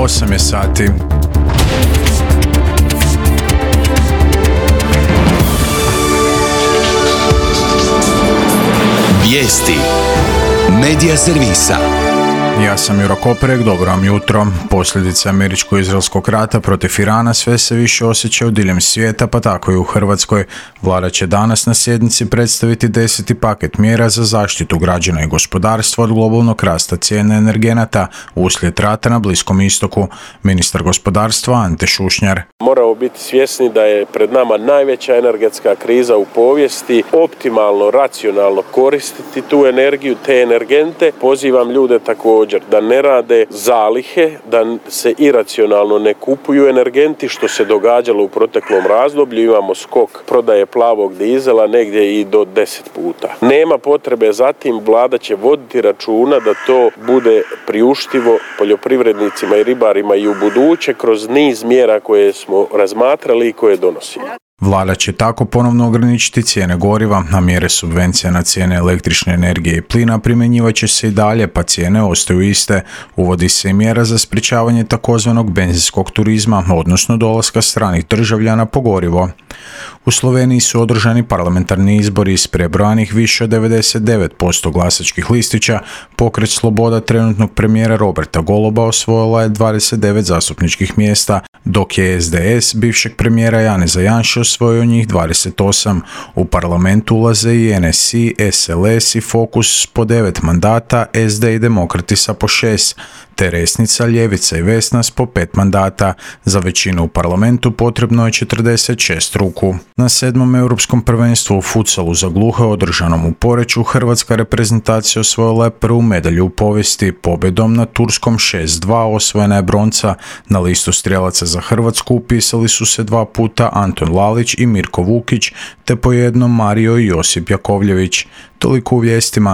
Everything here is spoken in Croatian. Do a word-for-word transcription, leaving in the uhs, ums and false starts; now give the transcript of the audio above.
osam je sati. Vijesti Medija servisa. Ja sam Juro Koperek, dobro vam jutro. Posljedice američko-izraelskog rata protiv Irana sve se više osjećaju diljem svijeta, pa tako i u Hrvatskoj. Vlada će danas na sjednici predstaviti deseti paket mjera za zaštitu građana i gospodarstva od globalnog rasta cijene energenata uslijed rata na Bliskom istoku. Ministar gospodarstva Ante Šušnjar. Moramo biti svjesni da je pred nama najveća energetska kriza u povijesti. Optimalno, racionalno koristiti tu energiju, te energente. Pozivam ljude također da ne rade zalihe, da se iracionalno ne kupuju energenti, što se događalo u proteklom razdoblju. Imamo skok prodaje plavog dizela negdje i do deset puta. Nema potrebe za tim, vlada će voditi računa da to bude priuštivo poljoprivrednicima i ribarima i u buduće kroz niz mjera koje smo razmatrali i koje donosimo. Vlada će tako ponovno ograničiti cijene goriva, a mjere subvencija na cijene električne energije i plina primjenjivat će se i dalje, pa cijene ostaju iste. Uvodi se i mjera za sprječavanje takozvanog benzinskog turizma, odnosno dolaska stranih državljana po gorivo. U Sloveniji su održani parlamentarni izbori iz prebrojanih više od devedeset devet posto glasačkih listića. Pokret Sloboda trenutnog premijera Roberta Goloba osvojila je dvadeset devet zastupničkih mjesta, dok je es de es bivšeg premijera Janeza Janše osvojio njih dvadeset osam. U parlamentu ulaze i en es i, es el es i Fokus po devet mandata, es de i Demokrati sa po šest, te Resnica, Ljevica i Vesnas po pet mandata. Za većinu u parlamentu potrebno je četrdeset šest ruku. Na sedmom europskom prvenstvu u futsalu za gluhe održanom u Poreču, hrvatska reprezentacija osvojila je prvu medalju u povijesti. Pobjedom na turskom šest dva osvojena je bronca. Na listu strijelaca za Hrvatsku upisali su se dva puta Anton Lalić i Mirko Vukić, te po jednom Mario i Josip Jakovljević. Toliko u vijestima.